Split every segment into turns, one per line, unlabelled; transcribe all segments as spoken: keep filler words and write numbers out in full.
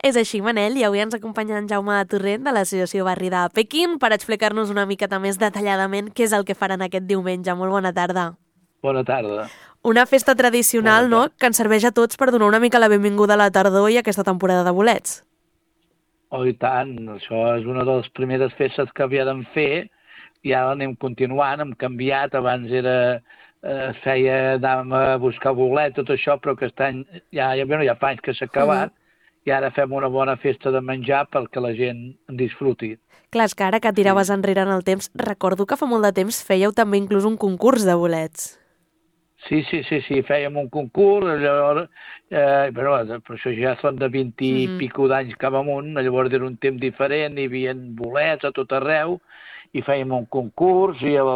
És així, Manel, i avui ens acompanya en Jaume Torrent de l'Associació Barri de Pequín per explicar-nos una miqueta més detalladament què és el que faran aquest diumenge. Molt bona tarda.
Bona tarda.
Una festa tradicional,
Bona
no?, que ens serveix a tots per donar una mica la benvinguda a la tardor i a aquesta temporada de bolets.
Oh, i tant, això és una de les primeres festes que havíem fer i ara anem continuant, hem canviat, abans era, eh, feia, anàvem a buscar bolets, tot això, però aquest any ja, ja, bueno, ja fa anys que s'ha acabat, i ara fem una bona festa de menjar perquè la gent en disfruti.
Clar, és que ara que tiraves sí. enrere en el temps, recordo que fa molt de temps fèieu també inclús un concurs de bolets.
Sí, sí, sí, sí, fèiem un concurs, llavors, eh, però, però això ja són de vint i mm-hmm. pico d'anys cap amunt, llavors era un temps diferent, hi havia bolets a tot arreu, i fèiem un concurs, i el,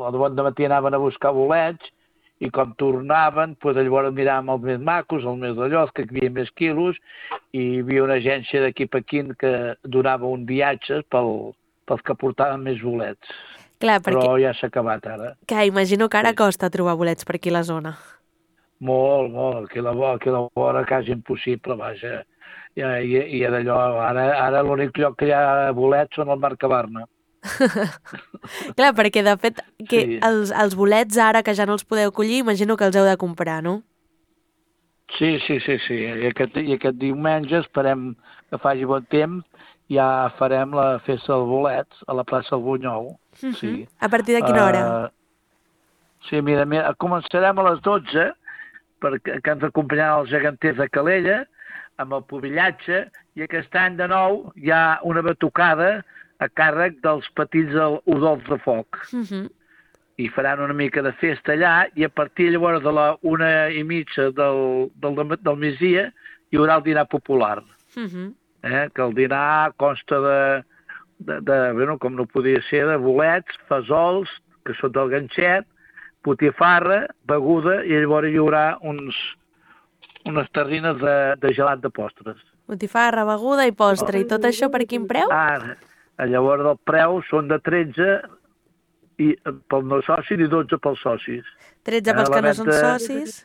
el bon dematí anaven a buscar bolets, i com tornaven, doncs llavors miràvem els més macos, els més d'allò, els que hi havia més quilos, i hi havia una agència d'aquí a Pequín que donava un viatge pel, pels que portaven més bolets.
Clar, perquè...
Però ja s'ha acabat ara.
Clar, imagino que ara sí. costa trobar bolets per aquí a la zona.
Molt, molt. Aquí a la, aquí a la vora quasi impossible, vaja. I, i, i d'allò, ara, ara l'únic lloc que hi ha bolets són al Mercabarna.
Clar, perquè de fet que
sí.
els, els bolets ara que ja no els podeu collir, imagino que els heu de comprar, no?
Sí, sí, sí, sí. I aquest, i aquest diumenge esperem que faci bon temps, ja farem la festa dels bolets a la plaça del Bunyol.
Uh-huh.
Sí.
A partir de quina hora?
Uh, sí, mira, mira, començarem a les dotze, perquè que ens acompanyaran els geganters de Calella, amb el pobillatge, i aquest any de nou hi ha una batucada a càrrec dels petits udols de foc.
Uh-huh.
I faran una mica de festa allà, i a partir llavors de la una i mitja del, del, del migdia hi haurà el dinar popular.
Uh-huh.
Eh? Que el dinar consta de, de, de, bueno, com no podia ser, de bolets, fesols, que són del ganxet, botifarra, beguda, i llavors hi haurà uns, unes terrines de, de gelat de postres.
Botifarra, beguda i postre, oh. I tot això per quin preu?
Ah, llavors el preu són de tretze i pel no soci i dotze pels socis.
tretze pels que no són socis?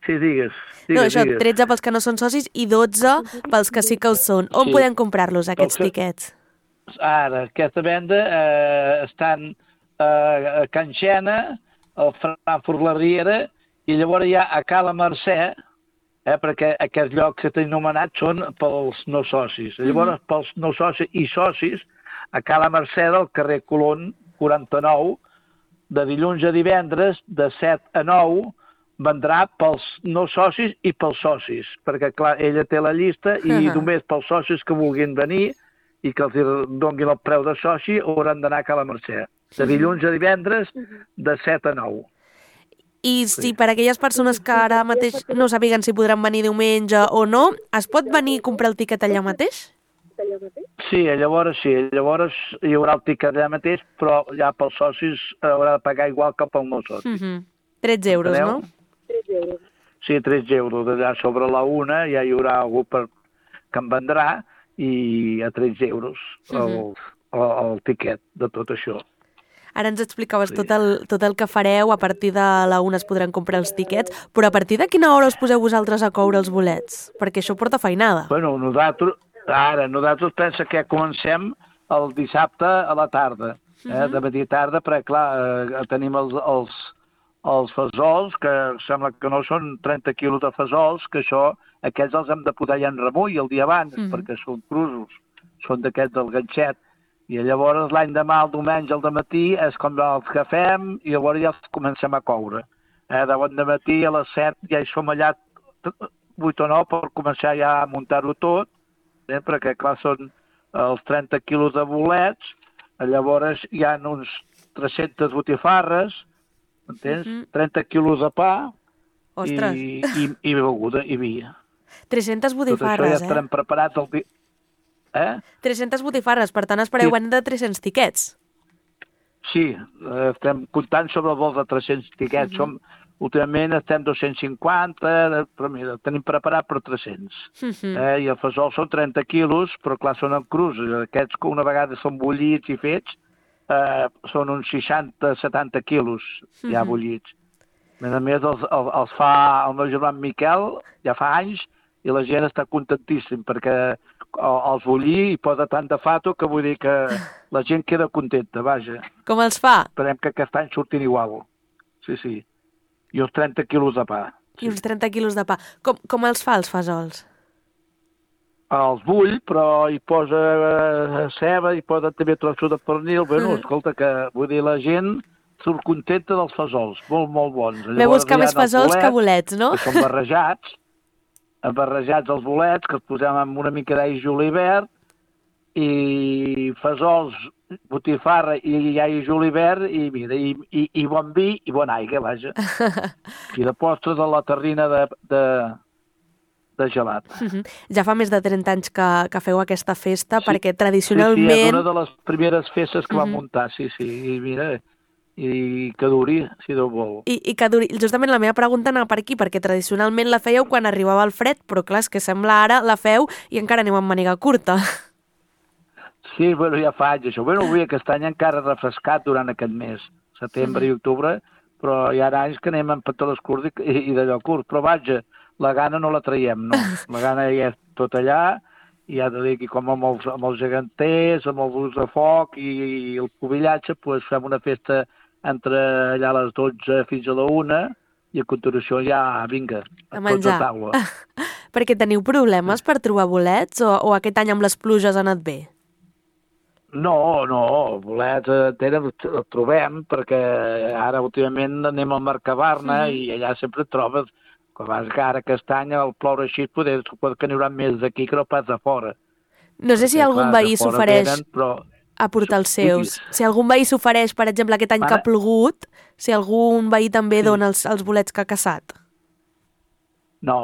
Sí, digues. digues
no, això,
digues.
tretze pels que no són socis i dotze pels que sí que ho són. On sí. podem comprar-los, aquests que... tiquets?
Ara, aquesta venda eh, estan eh, a Can Xena, al Frankfurt la Riera, i llavors hi ha a Cala Mercè, eh, perquè aquests llocs que t'he anomenat són pels no socis. Llavors, mm-hmm. pels no socis i socis, a Cala Mercè del carrer Colón quaranta-nou, de dilluns a divendres, de set a nou, vendrà pels no socis i pels socis, perquè, clar, ella té la llista i uh-huh. només pels socis que vulguin venir i que els donguin el preu de soci hauran d'anar a Cala Mercè. De dilluns a divendres, de set a nou.
I si sí. per aquelles persones que ara mateix no sàpiguen si podran venir diumenge o no, es pot venir a comprar el tiquet allà mateix?
Sí, llavors sí, llavors hi haurà el tiquet allà mateix, però ja pels socis haurà de pagar igual que pel no soci.
Uh-huh. tretze euros, Enteneu? No?
tretze euros.
Sí, tretze euros. D'allà sobre la una ja hi haurà algú per, que en vendrà i a tretze euros el, uh-huh. el, el tiquet de tot això.
Ara ens explicaves sí. tot, el, tot el que fareu, a partir de la una es podran comprar els tiquets, però a partir de quina hora us poseu vosaltres a coure els bolets? Perquè això porta feinada.
Bueno, nosaltres, ara, nosaltres pensa que comencem el dissabte a la tarda, eh, uh-huh. de matí a tarda, perquè clar, eh, tenim els, els, els fesols, que sembla que no són trenta quilos de fesols, que això, aquests els hem de posar ja en remull el dia abans, uh-huh. perquè són crusos, són d'aquests del ganxet. I llavors l'any demà, el diumenge, al dematí, és com els que fem i llavors ja els comencem a coure. Eh, de bon dematí a les set ja hi som allà vuit o nou per començar ja a muntar-ho tot, eh, perquè clar són els trenta quilos de bolets, llavors hi ha uns tres-centes botifarres, entens? Uh-huh. trenta quilos de pa i, i, i beguda i vi.
tres-centes botifarres,
tot això ja estarem
eh?
preparats el dia. Eh?
tres-centes botifarres, per tant espereu sí. de tres-cents tiquets.
Sí, estem comptant sobre el vol de tres-cents tiquets. Uh-huh. Som, últimament estem dos-cents cinquanta, però mira, tenim preparat per tres-cents. Uh-huh. eh? I el fesol són trenta quilos, però clar, són en crus. Aquests que una vegada són bullits i fets, eh, són uns seixanta setanta quilos uh-huh. ja bullits. A més, els, els, els fa el meu germà Miquel, ja fa anys, i la gent està contentíssim perquè els bullir i posa tant de fato que vull dir que la gent queda contenta, vaja.
Com els fa?
Esperem que aquest any surtin igual. Sí, sí. I uns trenta quilos de pa.
I uns trenta quilos de pa. Com, com els fa, els fesols?
Els bull, però hi posa ceba, hi posa també trossos de pernil. Bueno, escolta, que vull dir, la gent surt contenta dels fesols. Molt, molt bons.
Ve buscar més fesols bolets, que bolets, no?
Que són barrejats, barrejats els bolets, que els posem amb una mica d'all julivert, i fesols, botifarra i all julivert, i mira, i, i, i bon vi i bona aigua, vaja. I de postre de la terrina de, de, de gelat.
Ja fa més de trenta anys que, que feu aquesta festa, sí, perquè tradicionalment...
Sí, sí, és una de les primeres festes que vam muntar, sí, sí, i mira... i que duri, si Déu vol.
I, i que duri. Justament la meva pregunta anava per aquí, perquè tradicionalment la fèieu quan arribava el fred, però clar, és que sembla ara la feu i encara aneu amb màniga curta.
Sí, bueno, ja fa anys això. Bueno, avui aquest any encara refrescat durant aquest mes, setembre mm. i octubre, però hi ha anys que anem amb pantalons curts i, i d'allò curt. Però vaja, la gana no la traiem, no. La gana ja és tot allà, i ja t'ho dic, i com amb els, amb els geganters, amb els ulls de foc i, i el pobillatge, doncs fem una festa entre allà a les dotze fins a la una i a continuació ja, vinga,
a menjar.
Tots a taula.
Perquè teniu problemes per trobar bolets o, o aquest any amb les pluges ha anat bé?
No, no, bolets eh, el trobem perquè ara últimament anem al Mercabarna mm. i allà sempre et trobes, com que ara aquest any el ploure així poder, pot que n'hi haurà més d'aquí que no pas de fora.
No sé si perquè, algun clar, veí s'ofereix... Però... a portar els seus. Si algun veí s'ofereix, per exemple, aquest any Ara... que ha plogut, si algun veí també sí. dona els, els bolets que ha caçat.
No,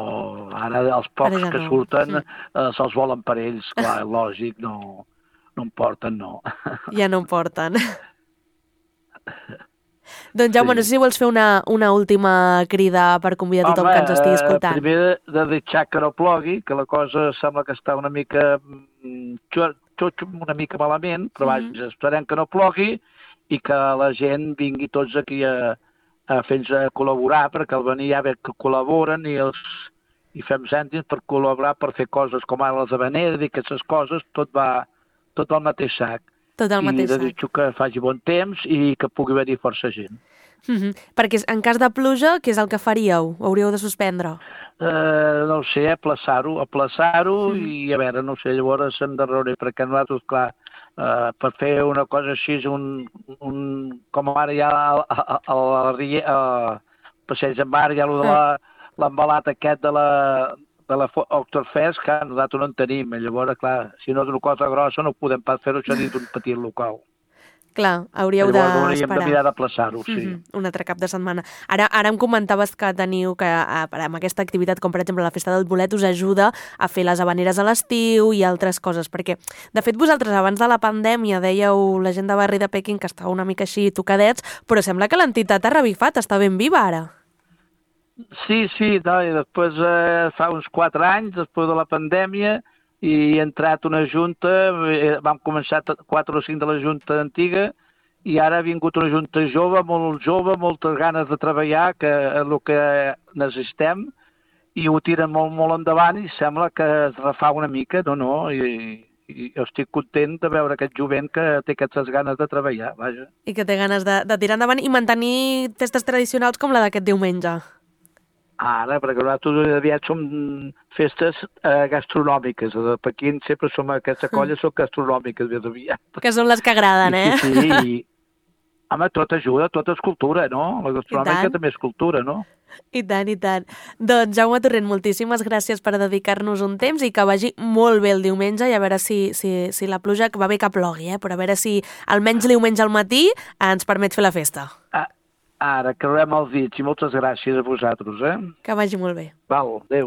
ara els pocs ara ja que no. surten mm. eh, se'ls volen per ells, clar, lògic, no, no en porten, no.
Ja no en porten. Doncs Jaume, sí. no sé si vols fer una, una última crida per convidar a tothom Home, que ens estigui escoltant.
Primer de, de deixar que no plogui, que la cosa sembla que està una mica... tot una mica malament, però vaja, mm-hmm. esperem que no plogui i que la gent vingui tots aquí a, a fer-nos a col·laborar, perquè al venir ja ve que col·laboren i, els, i fem cèntims per col·laborar, per fer coses com ara les habaneres i aquestes coses, tot va tot al mateix sac.
Tot al mateix sac.
I desitjo que faci bon temps i que pugui venir força gent.
Mm-hmm. Perquè en cas de pluja, què és el que faríeu? Ho hauríeu de suspendre?
Uh, no ho sé, aplaçar-ho, aplaçar-ho mm. i a veure, no sé, llavors hem de reunir, perquè nosaltres, clar, uh, per fer una cosa així, un, un, com ara hi ha al Passeig en Mar, hi ha l'embalat aquest de la, de la Oktoberfest, que nosaltres no en tenim, i llavors, clar, si no és una cosa grossa no podem pas fer-ho això dins d'un petit local.
Clar, hauríeu d'esperar.
Hauríem de mirar d'aplaçar-ho, sí.
Mm-hmm. Un altre cap de setmana. Ara, ara em comentaves que teniu que amb aquesta activitat, com per exemple la Festa del Bolet, us ajuda a fer les habaneres a l'estiu i altres coses, perquè, de fet, vosaltres abans de la pandèmia dèieu la gent de barri de Pequín que estava una mica així tocadets, però sembla que l'entitat ha revifat, està ben viva ara.
Sí, sí, no, i després eh, fa uns quatre anys, després de la pandèmia, i he entrat una junta, vam començar quatre o cinc de la junta antiga, i ara ha vingut una junta jove, molt jove, moltes ganes de treballar, que és el que necessitem, i ho tiren molt, molt endavant, i sembla que es refà una mica, no, no, i, i estic content de veure aquest jovent que té aquestes ganes de treballar, vaja.
I que té ganes de, de tirar endavant i mantenir festes tradicionals com la d'aquest diumenge.
Ara, perquè nosaltres aviat som festes eh, gastronòmiques. A Pequín sempre som aquesta colla, són gastronòmiques més aviat.
Que són les que agraden, eh?
Sí, sí, i... Home, tot ajuda, tot és cultura, no? La gastronòmica també és cultura, no?
I tant, i tant. Doncs, Jaume Torrent, moltíssimes gràcies per dedicar-nos un temps i que vagi molt bé el diumenge i a veure si, si, si la pluja, que va bé que plogui, eh? Però a veure si almenys diumenge al matí ens permet fer la festa.
Ah. Ara, creuem els dits i moltes gràcies a vosaltres, eh?
Que vagi molt bé.
Val, adéu.